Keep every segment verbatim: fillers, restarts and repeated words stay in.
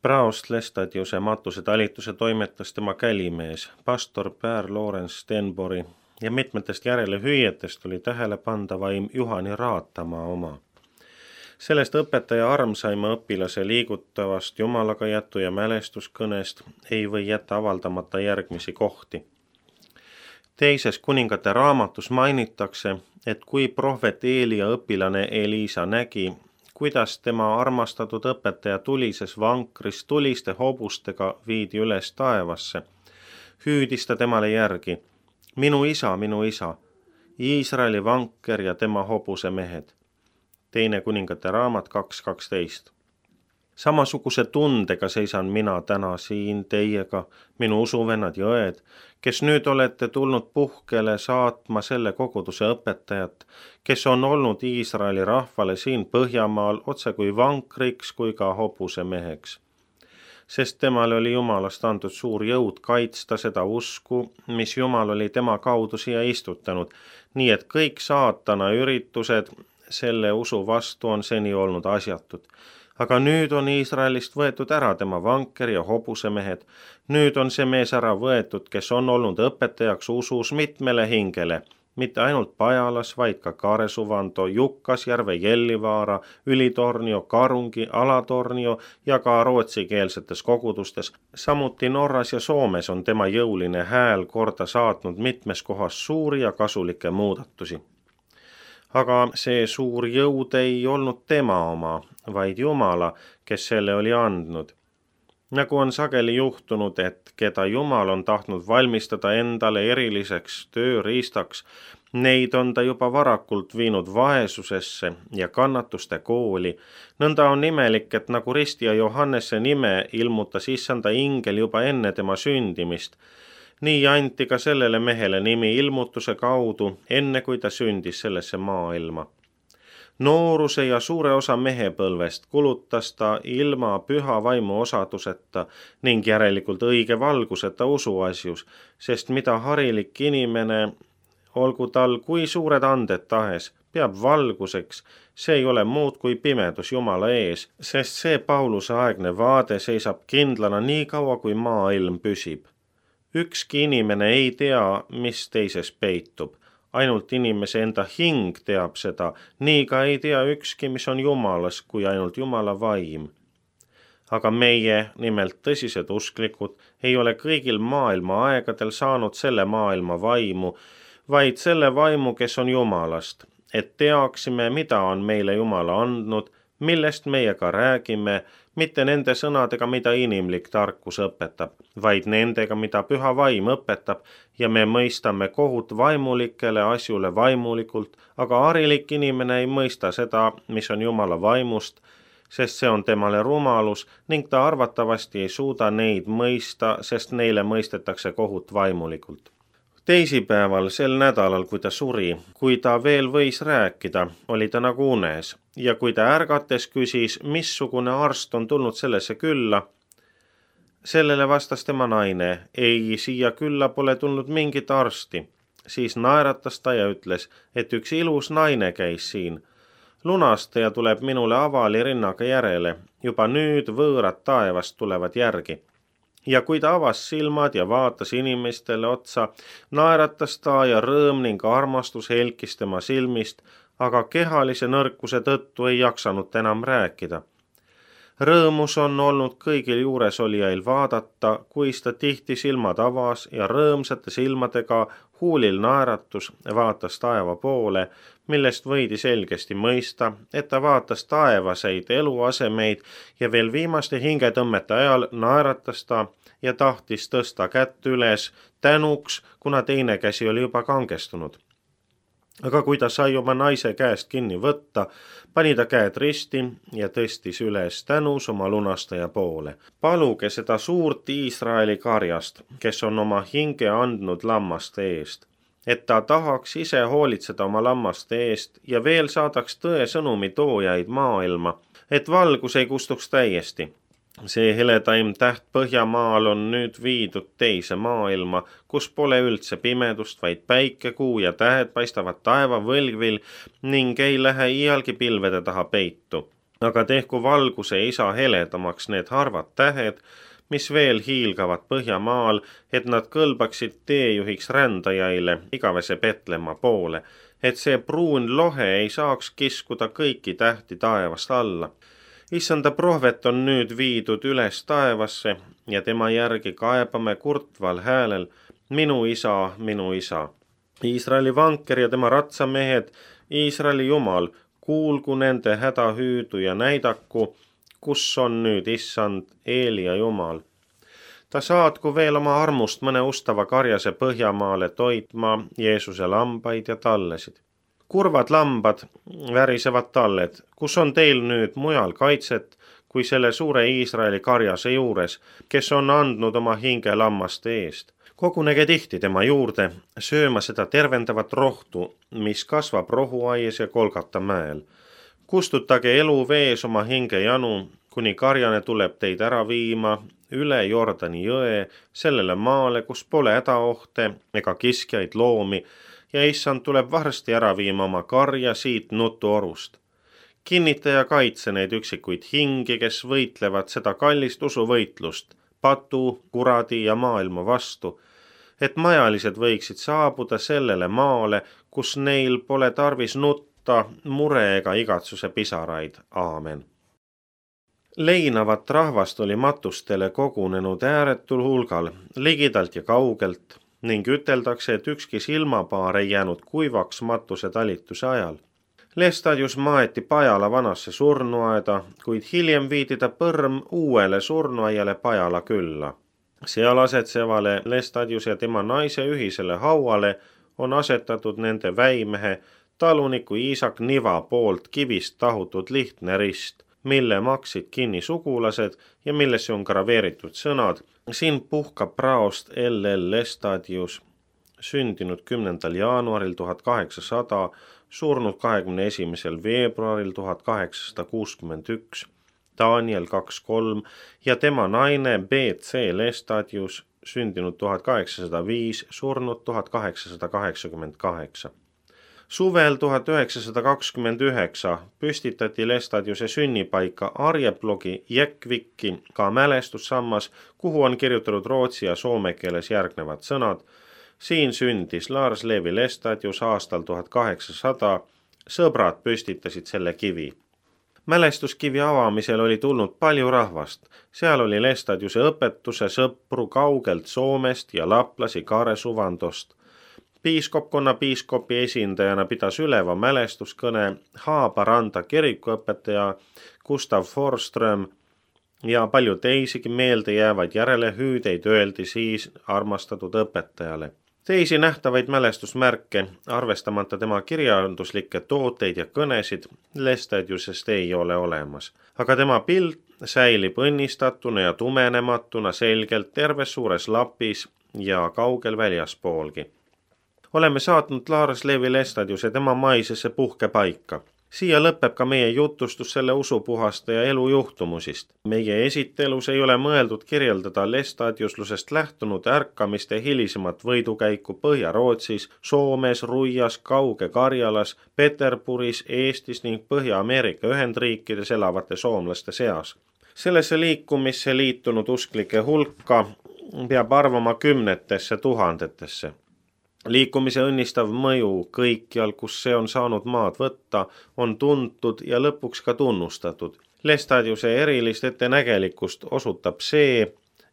Praost Lestadiuse matuse talituse toimetas tema kälimees, pastor Pär Lorenz Stenbori ja mitmetest järelehüüetest oli tähelepandavaim Juhani Raatamaa oma. Sellest õpetaja armsaima õpilase liigutavast jumalaga jätu ja mälestuskõnest ei või jätta avaldamata järgmisi kohti. Teises kuningate raamatus mainitakse, et kui prohvet Eelia õpilane Eliisa nägi, kuidas tema armastatud õpetaja tulises vankris tuliste hobustega viidi üles taevasse, hüüdis ta temale järgi: minu isa, minu isa, Iisraeli vanker ja tema hobuse mehed. Teine kuningate raamat kaks kaksteist. Samasuguse tundega seisan mina täna siin teiega, minu usuvennad ja õed, kes nüüd olete tulnud puhkele saatma selle koguduse õpetajat, kes on olnud Iisraeli rahvale siin Põhjamaal otse kui vankriks kui ka hobuse meheks. Sest temale oli Jumalast antud suur jõud kaitsta seda usku, mis Jumal oli tema kaudu siia istutanud, nii et kõik saatana üritused selle usu vastu on seni olnud asjatud. Aga nüüd on Iisraelist võetud ära tema vanker ja hobuse mehed. Nüüd on see mees ära võetud, kes on olnud õpetajaks usus mitmele hingele, mitte ainult Pajalas, vaid ka Kaaresuvando, Jukkasjärve, Jellivaara, Ülitornio, Karungi, Alatornio ja ka rootsikeelsetes kogudustes. Samuti Norras ja Soomes on tema jõuline hääl korda saatnud mitmes kohas suuri ja kasulikke muudatusi. Aga see suur jõud ei olnud tema oma, vaid Jumala, kes selle oli andnud. Nagu on sageli juhtunud, et keda Jumal on tahtnud valmistada endale eriliseks tööriistaks, neid on ta juba varakult viinud vaesusesse ja kannatuste kooli. Nõnda on imelik, et nagu ristija Johannese nime ilmutas issanda ingel juba enne tema sündimist, nii anti ka sellele mehele nimi ilmutuse kaudu, enne kui ta sündis sellesse maailma. Nooruse ja suure osa mehepõlvest kulutas ta ilma püha vaimu osaduseta ning järelikult õige valguseta usuasjus, sest mida harilik inimene, olgu tal kui suured anded tahes, peab valguseks, see ei ole muud kui pimedus Jumala ees, sest see Pauluse aegne vaade seisab kindlana nii kaua, kui maailm püsib. Ükski inimene ei tea, mis teises peitub. Ainult inimese enda hing teab seda, nii ka ei tea ükski, mis on Jumalas, kui ainult Jumala vaim. Aga meie, nimelt tõsised usklikud, ei ole kõigil maailma aegadel saanud selle maailma vaimu, vaid selle vaimu, kes on Jumalast, et teaksime, mida on meile Jumala andnud, millest meie ka räägime, mitte nende sõnadega, mida inimlik tarkus õpetab, vaid nendega, mida püha vaim õpetab, ja me mõistame kohut vaimulikele asjule vaimulikult, aga harilik inimene ei mõista seda, mis on Jumala vaimust, sest see on temale rumalus ning ta arvatavasti ei suuda neid mõista, sest neile mõistetakse kohut vaimulikult. Teisipäeval sel nädalal, kui ta suri, kui ta veel võis rääkida, oli ta nagu unes, ja kui ta ärgates küsis, missugune arst on tulnud sellesse külla, sellele vastas tema naine: ei, siia külla pole tulnud mingit arsti. Siis naeratas ta ja ütles, et üks ilus naine käis siin. Lunastaja tuleb minule avali rinnaga järele, juba nüüd võõrad taevast tulevad järgi. Ja kui ta avas silmad ja vaatas inimestele otsa, naeratas ta ja rõõm ning armastus helkis tema silmist, aga kehalise nõrkuse tõttu ei jaksanud enam rääkida. Rõõmus on olnud kõigil juuresolijail vaadata, kuis ta tihti silmad avas ja rõõmsate silmadega huulil naeratus vaatas taeva poole, millest võidi selgesti mõista, et ta vaatas taevaseid eluasemeid ja veel viimaste hingetõmmete ajal naeratas ta ja tahtis tõsta kätt üles tänuks, kuna teine käsi oli juba kangestunud. Aga kui ta sai oma naise käest kinni võtta, pani ta käed risti ja tõstis üles tänus oma lunastaja poole. Paluge seda suurt Iisraeli karjast, kes on oma hinge andnud lammaste eest, et ta tahaks ise hoolitseda oma lammaste eest ja veel saadaks tõe sõnumi toojaid maailma, et valgus ei kustuks täiesti. See heledaim täht Põhjamaal on nüüd viidud teise maailma, kus pole üldse pimedust, vaid päike, kuu ja tähed paistavad taeva võlgvil ning ei lähe iialgi pilvede taha peitu. aga tehku valguse isa heledamaks need harvad tähed, mis veel hiilgavad põhjamaal, et nad kõlbaksid teejuhiks rändajaile igavese Petlemma poole, et see pruun lohe ei saaks kiskuda kõiki tähti taevast alla. Issanda prohvet on nüüd viidud üles taevasse ja tema järgi kaebame kurtval häälel: minu isa, minu isa. Iisraeli vanker ja tema ratsamehed, Iisraeli Jumal, kuulgu nende hädahüüdu ja näidaku, kus on nüüd issand Eelia Jumal. Ta saatku veel oma armust mõne ustava karjase Põhjamaale toitma Jeesuse lambaid ja tallesid. Kurvad lambad, värisevad talled, kus on teil nüüd mujal kaitset kui selle suure Iisraeli karjase juures, kes on andnud oma hinge lammaste eest. Kogunege tihti tema juurde, sööma seda tervendavat rohtu, mis kasvab rohuaies ja Golgata mäel. Kustutage elu vees oma hinge janu, kuni karjane tuleb teid ära viima üle Jordani jõe, sellele maale, kus pole hädaohte ega kiskjaid loomi, ja issand tuleb varsti ära viima oma karja siit nutuorust. Kinnita ja kaitse neid üksikuid hingi, kes võitlevad seda kallist usuvõitlust, patu, kuradi ja maailma vastu, et majalised võiksid saabuda sellele maale, kus neil pole tarvis nutta, mure ega igatsuse pisaraid. Aamen. Leinavat rahvast oli matustele kogunenud ääretul hulgal, ligidalt ja kaugelt, ning üteldakse, et ükski silmapaar ei jäänud kuivaks matuse talituse ajal. Lestadius maeti Pajala vanasse surnuaeda, kuid hiljem viidi ta põrm uuele surnuaiale Pajala külla. Seal asetsevale Lestadius ja tema naise ühisele hauale on asetatud nende väimehe taluniku Iisak Niva poolt kivist tahutud lihtne rist, mille maksid kinni sugulased ja millesse on graveeritud sõnad: siin puhkab praost L L Lestadius, sündinud kümnendal jaanuaril tuhat kaheksasada, surnud kahekümne esimesel veebruaril tuhat kaheksasada kuuskümmend üks, Daniel kaks kolm, ja tema naine B C Lestadius, sündinud tuhat kaheksasada viis, surnud tuhat kaheksasada kaheksakümmend kaheksa. Suvel tuhat üheksasada kakskümmend üheksa püstitati Lestadiuse sünnipaika Arjeplogi Jäkvikki ka mälestussammas, kuhu on kirjutatud rootsi ja soome keeles järgnevad sõnad. Siin sündis Lars Levi Lestadius aastal tuhat kaheksasada, sõbrad püstitasid selle kivi. Mälestuskivi avamisel oli tulnud palju rahvast. Seal oli Lestadiuse õpetuse sõpru kaugelt Soomest ja laplasi Kaare Suvandost. Piiskopkonna piiskopi esindajana pidas üleva mälestuskõne Haaparanda kirikuõpetaja Gustav Forström ja palju teisigi meelde jäävaid järelehüüdeid öeldi siis armastatud õpetajale. Teisi nähtavaid mälestusmärke, arvestamata tema kirjanduslikke tooteid ja kõnesid, Lestadiusest ei ole olemas. Aga tema pilt säilib õnnistatuna ja tumenematuna selgelt terves suures lapis ja kaugel väljaspoolgi. Oleme saatnud Lars Levi Lestadiuse tema maisesse puhkepaika. Siia lõpeb ka meie jutustus selle usupuhaste ja elujuhtumusist. Meie esitelus ei ole mõeldud kirjeldada Lestadiuslusest lähtunud ärkamiste hilisemat võidukäiku Põhja-Rootsis, Soomes, Ruias, Kauge Karjalas, Peterburis, Eestis ning Põhja-Ameerika Ühendriikides elavate soomlaste seas. Sellesse liikumisse liitunud usklike hulka peab arvama kümnetesse tuhandetesse. Liikumise õnnistav mõju kõikjal, kus see on saanud maad võtta, on tuntud ja lõpuks ka tunnustatud. Lestadiuse erilist ettenägelikkust osutab see,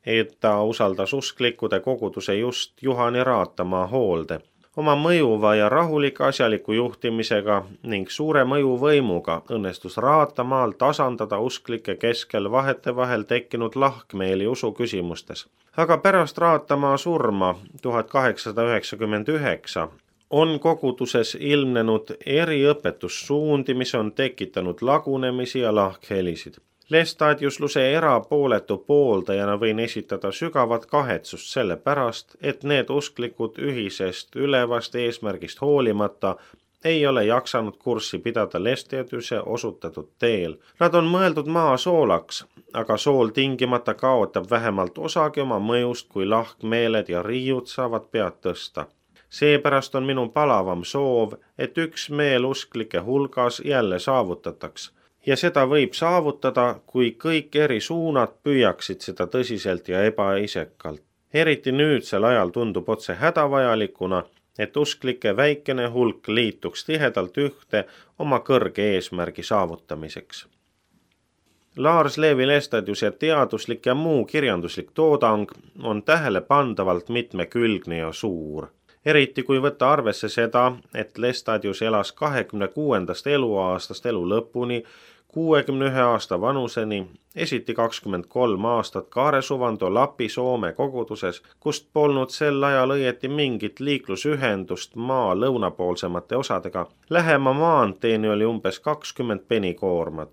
et ta usaldas usklikude koguduse just Juhani Raatamaa hoolde. Oma mõjuva ja rahulika asjaliku juhtimisega ning suure mõjuvõimuga õnnestus Raatamaal tasandada usklike keskel vahetevahel tekkinud lahkmeeli usuküsimustes. Aga pärast Raatamaa surma tuhat kaheksasada üheksakümmend üheksa on koguduses ilmnenud eri õpetussuundi, mis on tekitanud lagunemisi ja lahkhelisid. Lestadiusluse erapooletu pooldajana võin esitada sügavat kahetsust selle pärast, et need usklikud ühisest ülevast eesmärgist hoolimata ei ole jaksanud kurssi pidada Lestadiuse osutatud teel. Nad on mõeldud maa soolaks, aga sool tingimata kaotab vähemalt osagi oma mõjust, kui lahkmeeled ja riiud saavad pead tõsta. Seepärast on minu palavam soov, et üks meel usklike hulgas jälle saavutataks. Ja seda võib saavutada, kui kõik eri suunad püüaksid seda tõsiselt ja ebaisekalt. Eriti nüüdsel ajal tundub otse hädavajalikuna, et usklike väikene hulk liituks tihedalt ühte oma kõrge eesmärgi saavutamiseks. Lars Levi Laestadiuse teaduslik ja muu kirjanduslik toodang on tähelepandavalt mitmekülgne ja suur. Eriti kui võtta arvesse seda, et Laestadius elas kahekümne kuuendast eluaastast elu lõpuni, kuuekümne ühe aasta vanuseni, esiti kakskümmend kolm aastat Kaaresuvando Lapi Soome koguduses, kust polnud sel ajal õieti mingit liiklusühendust maa lõunapoolsemate osadega. Lähema maanteeni oli umbes kakskümmend penikoormat.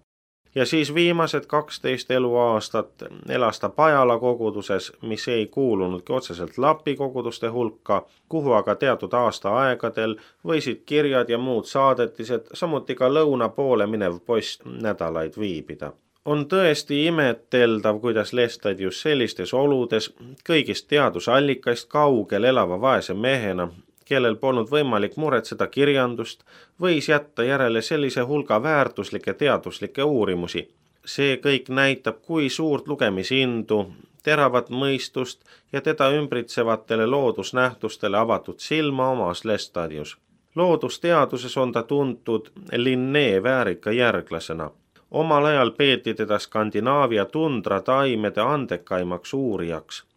Ja siis viimased kaksteist eluaastat elas ta Pajala koguduses, mis ei kuulunudki otseselt Lapi koguduste hulka, kuhu aga teatud aasta aegadel võisid kirjad ja muud saadetised, samuti ka lõuna poole minev post nädalaid viibida. On tõesti imeteldav, kuidas Laestadius sellistes oludes kõigist teadusallikaist kaugel elava vaese mehena, kellel polnud võimalik muretseda kirjandust, võis jätta järele sellise hulga väärtuslikke teaduslikke uurimusi. See kõik näitab, kui suurt lugemisindu, teravat mõistust ja teda ümbritsevatele loodusnähtustele avatud silma omas Laestadius. Loodusteaduses on ta tuntud Linné väärika järglasena. Omal ajal peeti teda Skandinaavia tundra taimede andekaimaks uurijaks.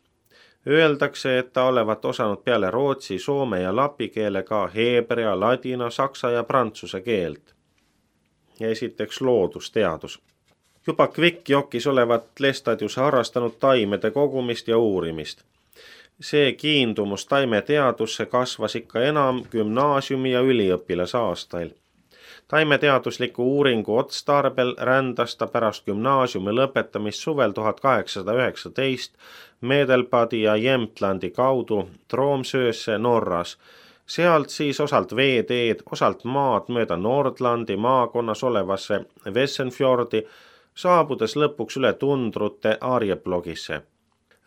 Öeldakse, et ta olevat osanud peale rootsi, soome ja lapi keele ka heebrea, ladina, saksa ja prantsuse keelt. Ja esiteks loodusteadus. Juba Kvikkjokis olevat Laestadius harrastanud taimede kogumist ja uurimist. See kiindumus taimeteadusse kasvas ikka enam gümnaasiumi ja üliõpilasaastail. Taimeteadusliku uuringu otstarbel rändas ta pärast gümnaasiumi lõpetamist suvel tuhat kaheksasada üheksateist Medelpadi ja Jämtlandi kaudu Tromsøsse Norras. Sealt siis osalt veeteed, osalt maad mööda Nordlandi maakonnas olevasse Vessenfjordi, saabudes lõpuks üle tundrute Arjeplogisse.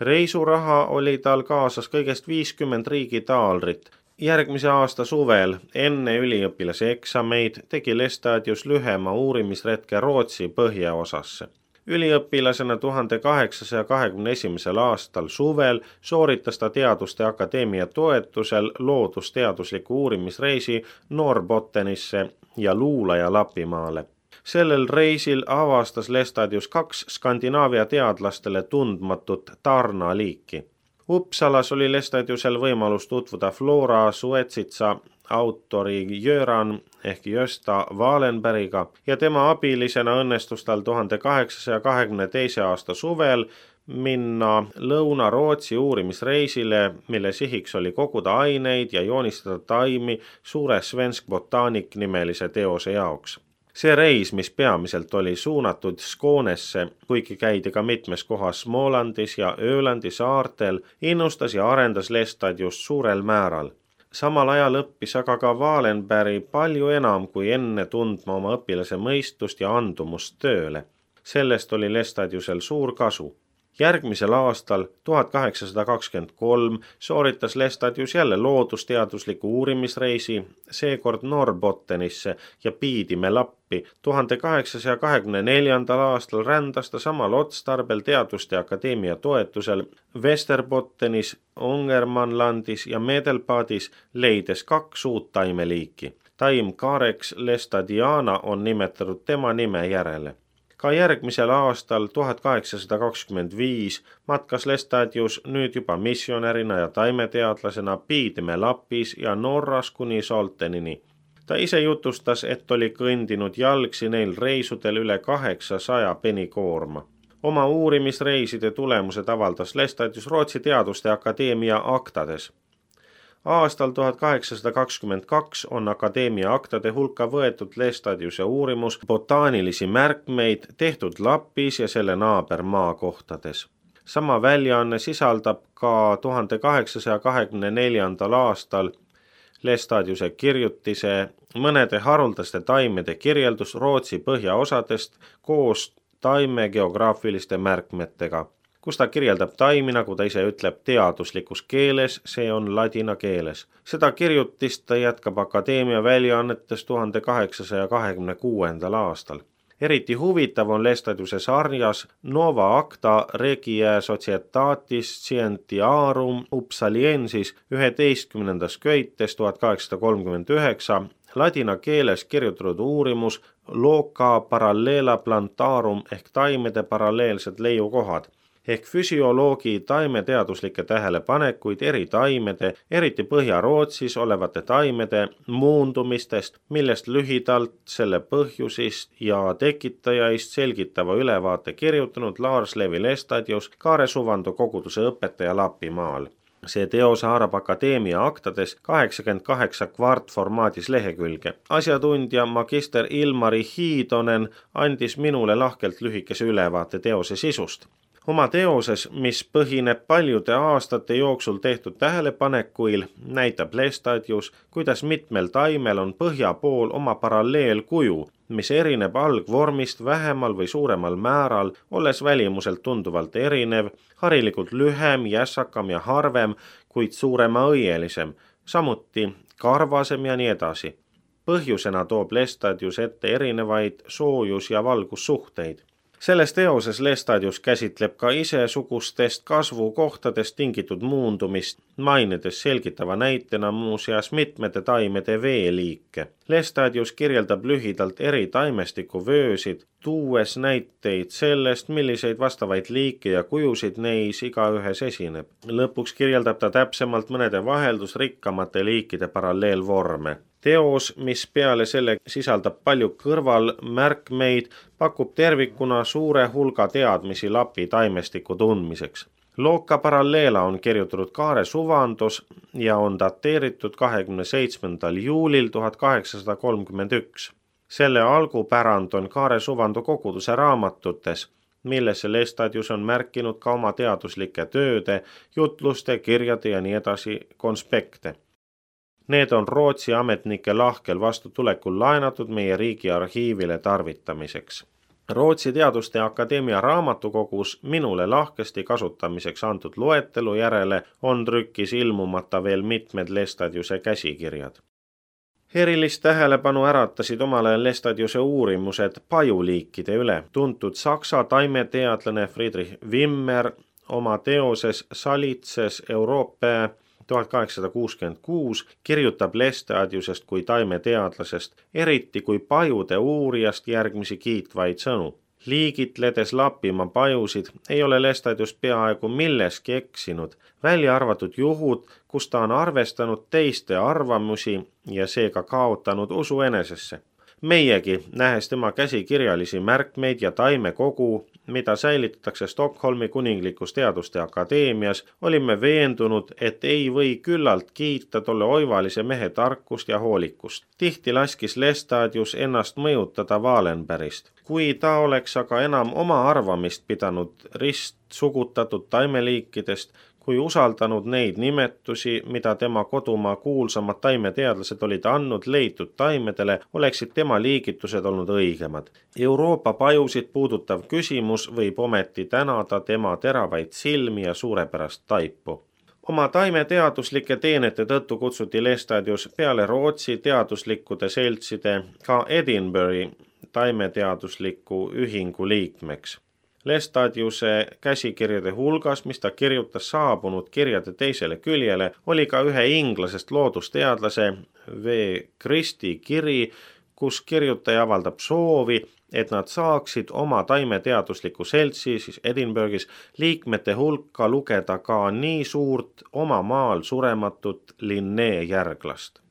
Reisuraha oli tal kaasas kõigest viiskümmend riigi taalrit. Järgmise aasta suvel, enne üliõpilase eksameid, tegi Laestadius lühema uurimisretke Rootsi põhjaosasse. Üliõpilasena tuhande kaheksasaja kahekümne esimesel aastal suvel sooritas ta Teaduste Akadeemia toetusel loodusteadusliku uurimisreisi Norrbottenisse ja Luula ja Lapimaale. Sellel reisil avastas Laestadius kaks Skandinaavia teadlastele tundmatut tarnaliiki. Uppsalas oli Laestadiusel võimalus tutvuda Flora Suetsitsa autori Göran ehk Gösta Walenbergiga ja tema abilisena õnnestus tal tuhande kaheksasaja kahekümne teise aasta suvel minna Lõuna-Rootsi uurimisreisile, mille sihiks oli koguda aineid ja joonistada taimi suure Svensk Botanik nimelise teose jaoks. See reis, mis peamiselt oli suunatud Skånesse, kuigi käidi ka mitmes kohas Smålandis ja Ölandi saartel, innustas ja arendas Laestadiust suurel määral. Samal ajal õppis aga ka Walenberg palju enam kui enne tundma oma õpilase mõistust ja andumust tööle. Sellest oli Laestadiusel suur kasu. Järgmisel aastal, tuhat kaheksasada kakskümmend kolm, sooritas Laestadius jälle loodusteadusliku uurimisreisi, seekord Norrbottenisse ja Piidime Lappi. tuhande kaheksasaja kahekümne neljandal aastal rändas ta samal otstarbel Teaduste Akadeemia toetusel Västerbottenis, Ångermanlandis ja Medelpadis, leides kaks uut taimeliiki. Taim Carex laestadiana on nimetatud tema nime järele. Ka järgmisel aastal, tuhat kaheksasada kakskümmend viis, matkas Laestadius nüüd juba missionärina ja taimeteadlasena Piidime Lapis ja Norras kuni Soltenini. Ta ise jutustas, et oli kõndinud jalgsi neil reisudel üle kaheksasaja penikoorma. Oma uurimisreiside tulemused avaldas Laestadius Rootsi Teaduste Akadeemia aktades. Aastal tuhat kaheksasada kakskümmend kaks on akadeemia aktade hulka võetud Laestadiuse uurimus botaanilisi märkmeid tehtud Lapis ja selle naabermaa kohtades. Sama väljaanne sisaldab ka tuhande kaheksasaja kahekümne neljandal aastal Laestadiuse kirjutise mõnede haruldaste taimede kirjeldus Rootsi põhjaosadest koos taime geograafiliste märkmetega, kus ta kirjeldab taimi, nagu ta ise ütleb, teaduslikus keeles, see on ladina keeles. Seda kirjutist ta jätkab akadeemia väljaannetes tuhande kaheksasaja kahekümne kuuendal aastal. Eriti huvitav on Lestadiuse sarjas Nova Acta Regiae Societatis Scientiarum Uppsaliensis üheteistkümnendas köites tuhat kaheksasada kolmkümmend üheksa ladina keeles kirjutatud uurimus Loca Parallela Plantarum ehk taimede paralleelsed leiukohad ehk füsioloogi taimeteaduslikke tähelepanekuid eri taimede, eriti Põhja-Rootsis olevate taimede muundumistest, millest lühidalt selle põhjusist ja tekitajaist selgitava ülevaate kirjutanud Lars Levi Lestadius Kaare Suvando koguduse õpetaja Lapimaal. See teos haarab akadeemia aktades kaheksakümmend kaheksa kvartformaadis lehekülge. Asjatundja magister Ilmari Hiidonen andis minule lahkelt lühikese ülevaate teose sisust. Oma teoses, mis põhineb paljude aastate jooksul tehtud tähelepanekuil, näitab Lestadius, kuidas mitmel taimel on põhja pool oma paralleelkuju, mis erineb algvormist vähemal või suuremal määral, olles välimuselt tunduvalt erinev, harilikult lühem, jässakam ja harvem, kuid suurema õielisem, samuti karvasem ja nii edasi. Põhjusena toob Lestadius ette erinevaid soojus- ja valgussuhteid. Selles teoses Lestadius käsitleb ka isesugustest kasvukohtadest tingitud muundumist, mainides selgitava näitena muuseas mitmete taimede veeliike. Lestadius kirjeldab lühidalt eri taimestiku vöösid, tuues näiteid sellest, milliseid vastavaid liike ja kujusid neis igaühes esineb. Lõpuks kirjeldab ta täpsemalt mõnede vaheldusrikkamate liikide paralleelvorme. Teos, mis peale selle sisaldab palju kõrvalmärkmeid, pakub tervikuna suure hulga teadmisi lapi taimestiku tundmiseks. Loca Parallela on kirjutatud Kaare Suvandos ja on dateeritud kahekümne seitsmendal juulil tuhat kaheksasada kolmkümmend üks. Selle algupärand on Kaare Suvando koguduse raamatutes, millesse Lestadius on märkinud ka oma teaduslike tööde, jutluste, kirjade ja nii edasi konspekte. Need on Rootsi ametnike lahkel vastutulekul laenatud meie riigi arhiivile tarvitamiseks. Rootsi Teaduste Akadeemia raamatukogus minule lahkesti kasutamiseks antud loetelu järele on trükkis ilmumata veel mitmed Lestadiuse käsikirjad. Erilist tähelepanu äratasid omal ajal Lestadiuse uurimused pajuliikide üle. Tuntud saksa taimeteadlane Friedrich Wimmer oma teoses Salices Europae tuhat kaheksasada kuuskümmend kuus kirjutab Lestadiusest kui taimeteadlasest, eriti kui pajude uurijast järgmisi kiitvaid sõnu. Liigitledes Lapimaa pajusid ei ole Lestadius peaaegu milleski eksinud, välja arvatud juhud, kus ta on arvestanud teiste arvamusi ja seega kaotanud usu enesesse. Meiegi, nähes tema käsikirjalisi märkmeid ja taimekogu, mida säilitatakse Stockholmi kuninglikus teaduste akadeemias, olime veendunud, et ei või küllalt kiita tolle oivalise mehe tarkust ja hoolikust. Tihti laskis Lestadius ennast mõjutada Walenbergist. Kui ta oleks aga enam oma arvamist pidanud ristsugutatud taimeliikidest, kui usaldanud neid nimetusi, mida tema kodumaa kuulsamad taimeteadlased olid andnud leitud taimedele, oleksid tema liigitused olnud õigemad. Euroopa pajusid puudutav küsimus võib ometi tänada tema teravaid silmi ja suurepärast taipu. Oma taimeteaduslike teenete tõttu kutsuti Lestadius peale Rootsi teaduslikkude seltside ka Edinburghi taimeteadusliku ühingu liikmeks. Lestadiuse käsikirjade hulgas, mis ta kirjutas saabunud kirjade teisele küljele, oli ka ühe inglasest loodusteadlase V. Christie kiri, kus kirjutaja avaldab soovi, et nad saaksid oma taimeteadusliku seltsi, siis Edinburghis, liikmete hulka lugeda ka nii suurt oma maal surematut Linnee järglast.